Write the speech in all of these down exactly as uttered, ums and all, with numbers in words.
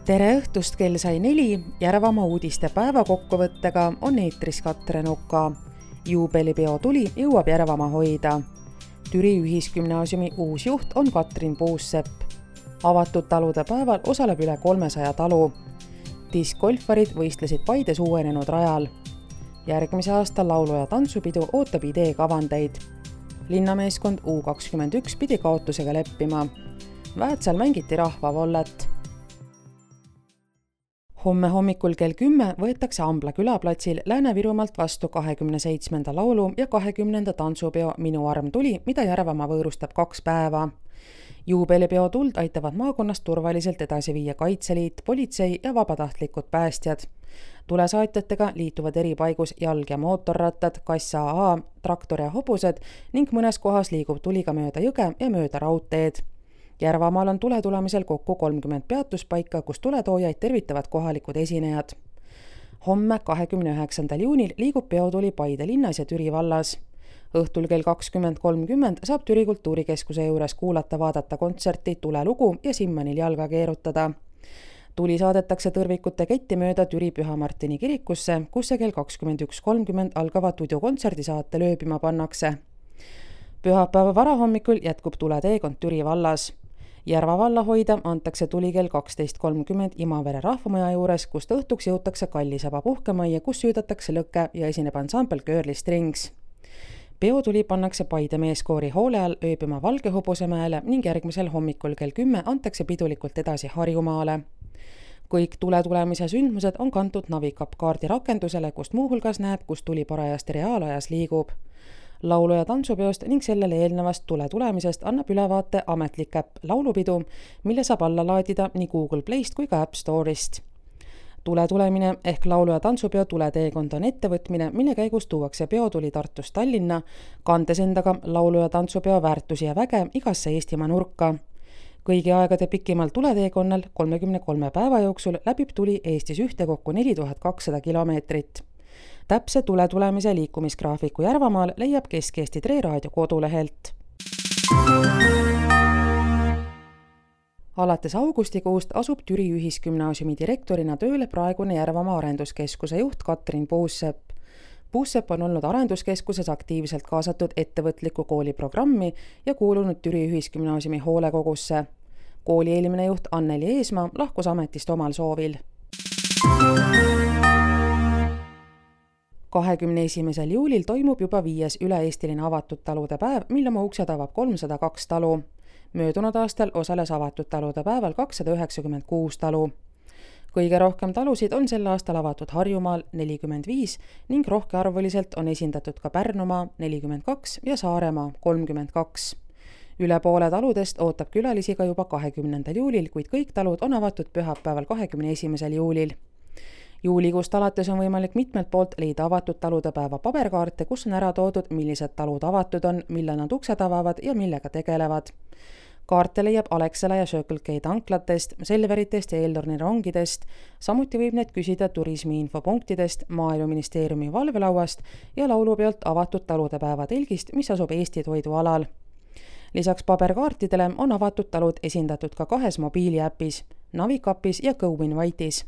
Tere õhtust, kell sai neli, Järvamaa uudiste päeva kokkuvõttega on eetris Katrin Oka. Juubelipeo tuli jõuab Järvamaa hoida. Türi ühisgümnaasiumi uus juht on Katrin Puussepp. Avatud talude päeval osaleb üle kolmesaja talu. Diskgolfarid võistlesid Paides uuenenud rajal. Järgmise aasta laulu- ja tantsupidu ootab idee kavandeid. Linnameeskond U kakskümmend üks pidi kaotusega leppima. Väätsal mängiti rahvavollet. Homme hommikul kell kümme võetakse Ambla külaplatsil Lääne-Virumaalt vastu kahekümne seitsmenda laulu ja kahekümnenda tantsupeo Minu arm tuli, mida Järvamaa võõrustab kaks päeva. Juubelipeo tuld aitavad maakonnast turvaliselt edasi viia Kaitseliit, politsei ja vabatahtlikud päästjad. Tulesaatjatega liituvad eri paigus jalg- ja mootorrattad, kassa A, traktor ja hobused ning mõnes kohas liigub tuli ka mööda jõge ja mööda raudteed. Järvamaal on tule tulemisel kokku kolmkümmend peatuspaika, kus tuletoojaid tervitavad kohalikud esinejad. Homme kahekümne üheksandal juunil liigub peotuli Paide linnas ja Türi vallas. Õhtul kell kakskümmend kolmkümmend saab Türi kultuurikeskuse juures kuulata vaadata kontserti Tulelugu ja Simmanil jalga keerutada. Tuli saadetakse tõrvikute ketti mööda Türi Püha Martini kirikusse, kus see kell kakskümmend üks kolmkümmend algava tudjukontserdisaate lööbima pannakse. Pühapäeva varahommikul jätkub tuleteekond Türi vallas. Järva valla hoida antakse tuli kell kaksteist kolmkümmend Imavere rahvamaja juures, kust õhtuks jõutakse Kallisaba puhkemajja, kus süüdatakse lõkke ja esineb ansambel Girly Strings. Peotuli pannakse Paide meeskoori hoole all ööbima Valgehobusemäele ning järgmisel hommikul kell kümme antakse pidulikult edasi Harjumaale. Kõik tule tulemise sündmused on kantud Navikap kaardi rakendusele, kust muuhulgas näeb, kus tuli parajasti reaalajas liigub. Laulu- ja tantsupeost ning sellele eelnevast tule tulemisest annab ülevaate ametlik äpp Laulupidu, mille saab alla laadida nii Google Playst kui ka App Store'ist. Tule tulemine ehk laulu- ja tantsupeo tuleteekond on ettevõtmine, mille käigus tuuakse peotuli Tartust Tallinna, kandes endaga laulu- ja tantsupeo väärtusi ja väge igasse Eestimaa nurka. Kõigi aegade pikimal tuleteekonnal kolmekümne kolme päeva jooksul läbib tuli Eestis ühtekokku neli tuhat kakssada kilomeetrit. Täpse tule tulemise liikumisgraafiku Järvamaal leiab Kesk-Eesti Tre Raadio kodulehelt. Alates augustikuust asub Türi ühisgümnaasiumi direktorina tööle praegune Järvamaa arenduskeskuse juht Katrin Puussepp. Puussepp on olnud arenduskeskuses aktiivselt kaasatud ettevõtliku kooli programmi ja kuulunud Türi ühisgümnaasiumi hoolekogusse. Kooli eelmine juht Anneli Eesmaa lahkus ametist omal soovil. kahekümne esimesel juulil toimub juba viies üle-eestiline avatud talude päev, mille oma uksed avab kolmsada kaks talu. Möödunud aastal osales avatud talude päeval kakssada üheksakümmend kuus talu. Kõige rohkem talusid on sel aastal avatud Harjumaal nelikümmend viis ning rohkearvuliselt on esindatud ka Pärnumaa nelikümmend kaks ja Saaremaa kolmkümmend kaks. Üle poole taludest ootab külalisi ka juba kahekümnendal juulil, kuid kõik talud on avatud pühapäeval kahekümne esimesel juulil. Juulikuust alates on võimalik mitmelt poolt leida avatud talude päeva paberkaarte, kus on ära toodud, millised talud avatud on, millal nad uksed avavad ja millega tegelevad. Kaarte leiab Alexela ja Circle K tanklatest, Selveritest ja Eeltorni rongidest, samuti võib need küsida turismiinfopunktidest, Maaeluministeeriumi valvelauast ja laulupeolt avatud talude päeva telgist, mis asub Eesti toidualal. Lisaks paberkaartidele on avatud talud esindatud ka kahes mobiiliäpis, Navikapis ja GoInvite'is.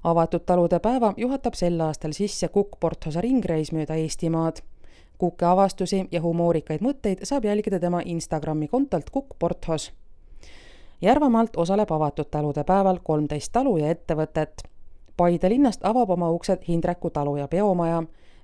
Avatud talude päeva juhatab sel aastal sisse Kukk Porthosa ringreis mööda Eestimaad. Kukke avastusi ja humoorikaid mõtteid saab jälgida tema Instagrami kontolt Kukk Porthos. Järvamaalt osaleb avatud talude päeval kolmteist talu ja ettevõtet. Paide linnast avab oma uksed Hindreku talu ja peomaja,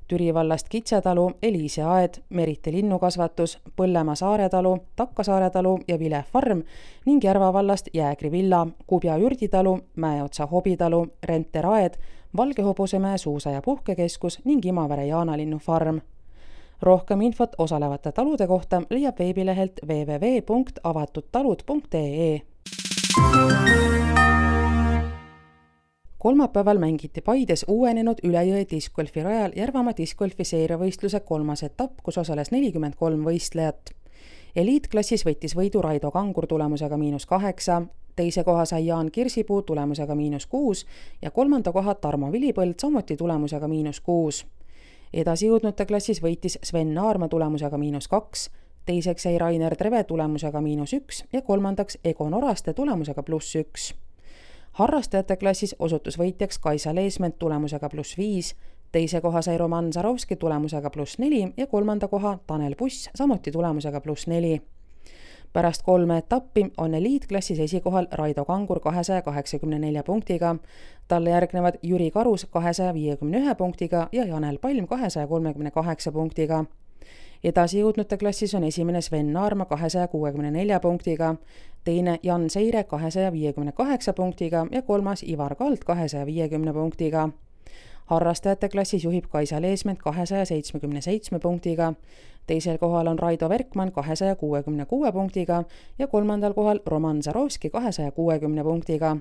Türi vallast Kitsetalu, Eliise aed, Merite linnukasvatus, Põllemaa saaretalu, Takkasaare talu ja Vile farm ning Järva vallast Jäägri villa, Kubja ürditalu, Mäeotsa hobitalu, Renter aed, Valgehobusemäe suusa- ja puhkekeskus ning Imavere jaanalinnu farm. Rohkem infot osalevate talude kohta leiab veebilehelt w w w punkt avatudtalud punkt e e. Kolmapäeval mängiti Paides uuenenud Ülejõe diskgolfi rajal Järvamaa diskgolfi seeriavõistluse kolmas etapp, kus osales nelikümmend kolm võistlejat. Eliitklassis võttis võidu Raido Kangur tulemusega miinus kaheksa, teise koha sai Jaan Kirsipuu tulemusega miinus kuus ja kolmanda koha Tarmo Vilipõld samuti tulemusega miinus kuus. Edasi jõudnute klassis võitis Sven Naarma tulemusega miinus kaks, teiseks jäi Rainer Treve tulemusega miinus üks ja kolmandaks Egon Oraste tulemusega pluss üks. Harrastajate klassis osutus võitjaks Kaisa Leesment tulemusega pluss viis, teise koha sai Roman Zarovski tulemusega pluss neli ja kolmanda koha Tanel Puss samuti tulemusega pluss neli. Pärast kolme etappi on eliitklassis esikohal Raido Kangur kahesaja kaheksakümne nelja punktiga, talle järgnevad Jüri Karus kahesaja viiekümne ühe punktiga ja Janel Palm kahesaja kolmekümne kaheksa punktiga. Edasi jõudnute klassis on esimene Sven Naarma kahesaja kuuekümne nelja punktiga, teine Jan Seire kahesaja viiekümne kaheksa punktiga ja kolmas Ivar Kald kahesaja viiekümne punktiga. Harrastajate klassis juhib Kaisa Leesment kahesaja seitsmekümne seitsme punktiga, teisel kohal on Raido Verkman kahesaja kuuekümne kuue punktiga ja kolmandal kohal Roman Zarovski kahesaja kuuekümne punktiga.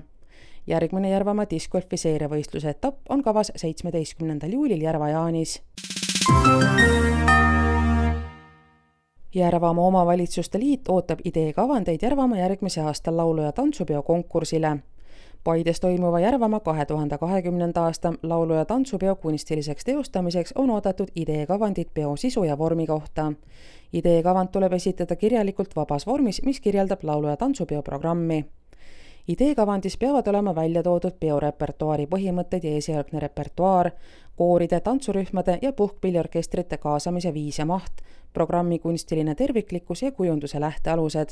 Järgmine Järvamaa discgolfi seeriavõistluse etapp on kavas seitsmeteistkümnendal juulil Järva-Jaanis. Järvamaa omavalitsuste liit ootab ideekavandeid Järvamaa järgmise aasta laulu- ja tantsupeo konkursile. Paides toimuva Järvamaa kahe tuhande kahekümnenda aasta laulu- ja tantsupeo kunstiliseks teostamiseks on oodatud ideekavandid peo sisu ja vormi kohta. Ideekavand tuleb esitada kirjalikult vabas vormis, mis kirjeldab laulu- ja tantsupeo programmi. Ideekavandis peavad olema välja toodud peorepertuaari põhimõtted ja esialgne repertuaar, kooride, tantsurühmade ja puhkpilliorkestrite kaasamise viis ja maht, programmi kunstiline terviklikkus ja kujunduse lähtealused.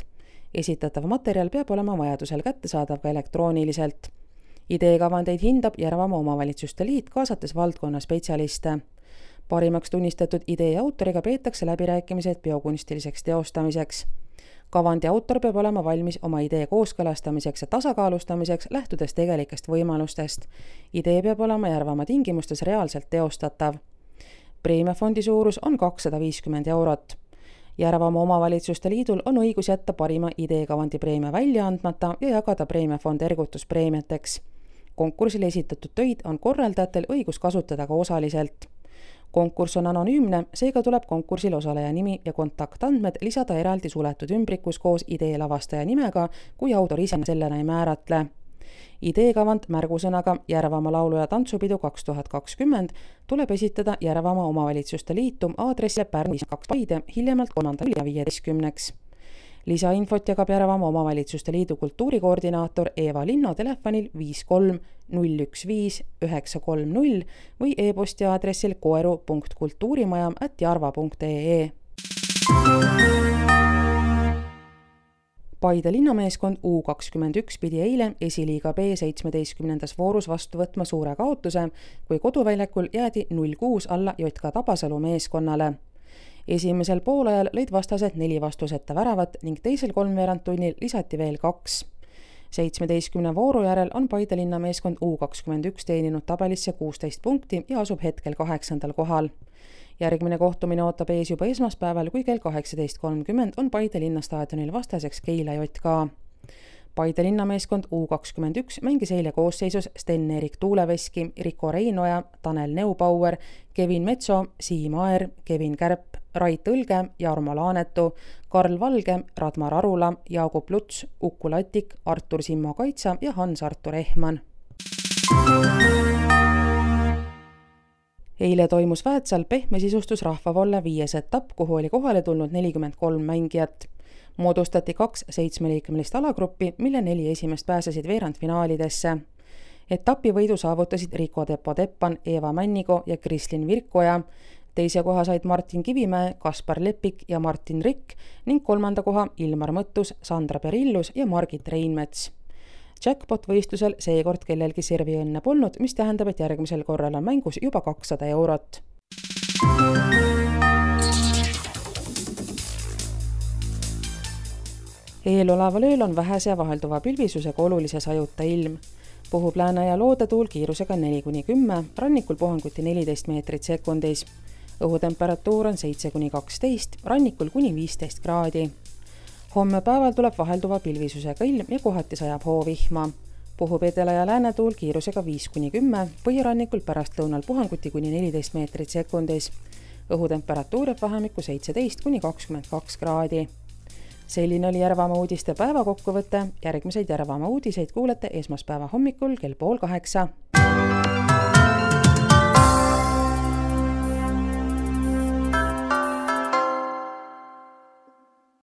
Esitatav materjal peab olema vajadusel kättesaadav ka elektrooniliselt. Ideekavandeid hindab Järvamaa omavalitsuste liit, kaasates valdkonna spetsialiste. Parimaks tunnistatud idee autoriga peetakse läbirääkimised peokunstiliseks teostamiseks. Kavandi autor peab olema valmis oma idee kooskõlastamiseks ja tasakaalustamiseks, lähtudes tegelikest võimalustest. Idee peab olema Järvamaa tingimustes reaalselt teostatav. Preemiafondi suurus on kakssada viiskümmend eurot. Järvamaa omavalitsuste liidul on õigus jätta parima ideekavandi preemia välja andmata ja jagada preemiafond ergutuspreemiateks. Konkursile esitatud töid on korraldajatel õigus kasutada ka osaliselt. Konkurss on anonüümne, seega tuleb konkursil osaleja nimi ja kontaktandmed lisada eraldi suletud ümbrikus koos idee lavastaja nimega, kui autor ise sellena ei määratle. Ideekavand märgusõnaga Järvamaa laulu- ja tantsupidu kaks tuhat kakskümmend tuleb esitada Järvamaa omavalitsuste liitu aadressile Pärnu kaks Paide hiljemalt kolmandal ja viieteistkümneks. Lisainfot jagab Järvamaa omavalitsuste liidu kultuurikoordinaator Eeva Linno telefonil viis kolm null üks viis üheksa kolm null või e-posti aadressil koeru punkt kultuurimaja at jarva punkt ee. Paide linnameeskond U kakskümmend üks pidi eile esiliiga B seitsmeteistkümnendas voorus vastu võtma suure kaotuse, kui koduväljakul jäädi null kuus alla J K Tabasalu meeskonnale. Esimesel poolajal lõid vastased neli vastuseta väravat ning teisel kolmveerandtunnil lisati veel kaks. seitsmeteistkümne vooru järel on Paide linnameeskond U kakskümmend üks teeninud tabelisse kuusteist punkti ja asub hetkel kaheksandal kohal. Järgmine kohtumine ootab ees juba esmaspäeval, kui kell kaheksateist kolmkümmend on Paide linnastaadionil vastaseks Keila J K. Paide linnameeskond U kakskümmend üks mängis eile koosseisus Sten-Erik Tuuleveski, Riko Reinoja, Tanel Neubauer, Kevin Metso, Siim Aer, Kevin Kärp, Rait Õlge, Jarmo Laanetu, Karl Valge, Radmar Arula, Jaagup Luts, Uku Latik, Artur Simmo Kaitsa ja Hans-Artur Ehman. Eile toimus Väätsal pehme sisustus rahvavolle viies etapp, kuhu oli kohale tulnud nelikümmend kolm mängijat. Moodustati kaks seitsmeliikmelist alagruppi, mille neli esimest pääsesid veerandfinaalidesse. Etapi võidu saavutasid Riko Tepo-Teppan, Eeva Männigo ja Krislin Virkoja. Teise koha said Martin Kivimäe, Kaspar Lepik ja Martin Rikk ning kolmanda koha Ilmar Mõttus, Sandra Perillus ja Margit Reinmets. Jackpot-võistlusel seekord kellelgi servi õnne polnud, mis tähendab, et järgmisel korral on mängus juba kakssada eurot. Eeloleval ööl on vähese ja vahelduva pilvisusega olulise sajuta ilm. Puhub lääne- ja loodetuul kiirusega neli kuni kümme, rannikul puhanguti neliteist meetrit sekundis. Õhutemperatuur on seitse kuni kaksteist, rannikul kuni viisteist kraadi. Homme päeval tuleb vahelduva pilvisusega ilm ja kohati sajab hoovihma. Puhub edela- ja läänetuul kiirusega viis kuni kümme, põhirannikul pärastlõunal puhanguti kuni neliteist meetrit sekundis. Õhutemperatuur jääb vahemikku seitseteist kuni kakskümmend kaks kraadi. Selline oli Järvamaa uudiste päevakokkuvõte. Järgmiseid Järvamaa uudiseid kuulete esmaspäeva hommikul kell pool kaheksa.